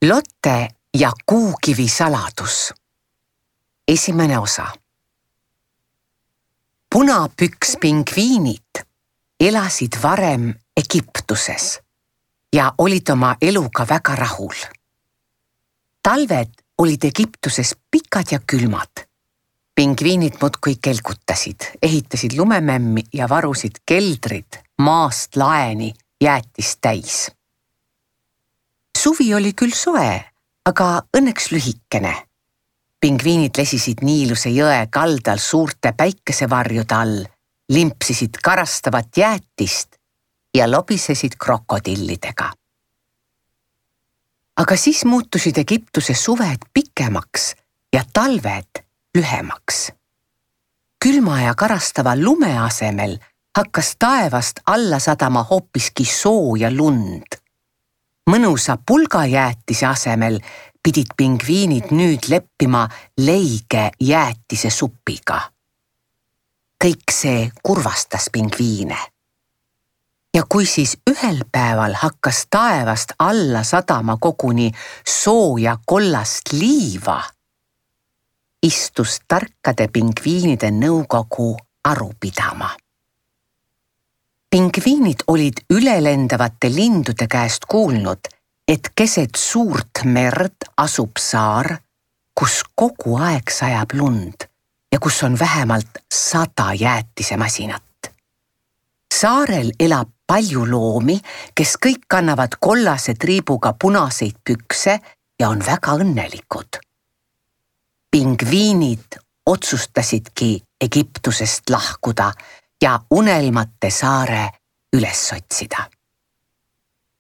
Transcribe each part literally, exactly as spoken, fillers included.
Lotte ja kuukivi saladus. Esimene osa. Punapükspingviinid elasid varem Egiptuses ja olid oma eluga väga rahul. Talved olid Egiptuses pikad ja külmad. Pingviinid muudkui kelgutasid, ehitasid lumemämmi ja varusid keldrid maast laeni jäätist täis. Suvi oli küll soe, aga õnneks lühikene. Pingviinid lesisid Niiluse jõe kaldal suurte päikesevarjude all, limpsisid karastavat jäätist ja lobisesid krokodillidega. Aga siis muutusid Egiptuse suved pikemaks ja talved lühemaks. Külma ja karastava lume asemel hakkas taevast alla sadama hoopiski soo ja lund. Mõnusa pulgajäätise asemel pidid pingviinid nüüd leppima leige jäätise supiga. Kõik see kurvastas pingviine. Ja kui siis ühel päeval hakkas taevast alla sadama koguni sooja kollast liiva, istus tarkade pingviinide nõukogu aru pidama. Pingviinid olid ülelendavate lindude käest kuulnud, et keset suurt merd asub saar, kus kogu aeg sajab lund ja kus on vähemalt sada jäätisemasinat. Saarel elab palju loomi, kes kõik kannavad kollase triibuga punaseid pükse ja on väga õnnelikud. Pingviinid otsustasidki Egiptusest lahkuda ja unelmate saare üles otsida.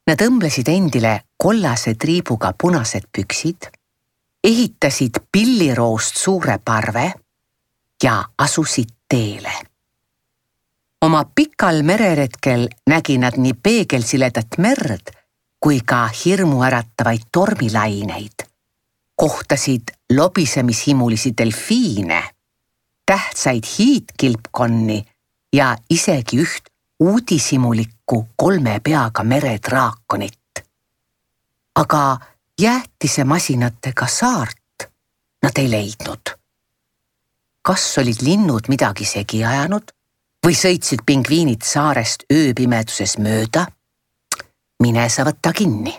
Nad õmblesid endile kollase triibuga punased püksid, ehitasid pilliroost suure parve ja asusid teele. Oma pikal mereretkel nägi nad nii peegelsiledat merd kui ka hirmuäratavaid tormilaineid, kohtasid lobisemishimulisi delfiine, tähtsaid hiidkilpkonni ja isegi üht uudishimulikku kolme peaga meredraakonit. Aga jäätisemasinatega saart nad ei leidnud. Kas olid linnud midagi segi ajanud või sõitsid pingviinid saarest ööpimeduses mööda? Mine sa võtta kinni.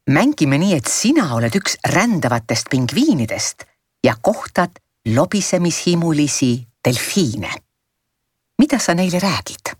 Mängime nii, et sina oled üks rändavatest pingviinidest ja kohtad lobisemishimulisi delfiine. Mida sa neile räägid?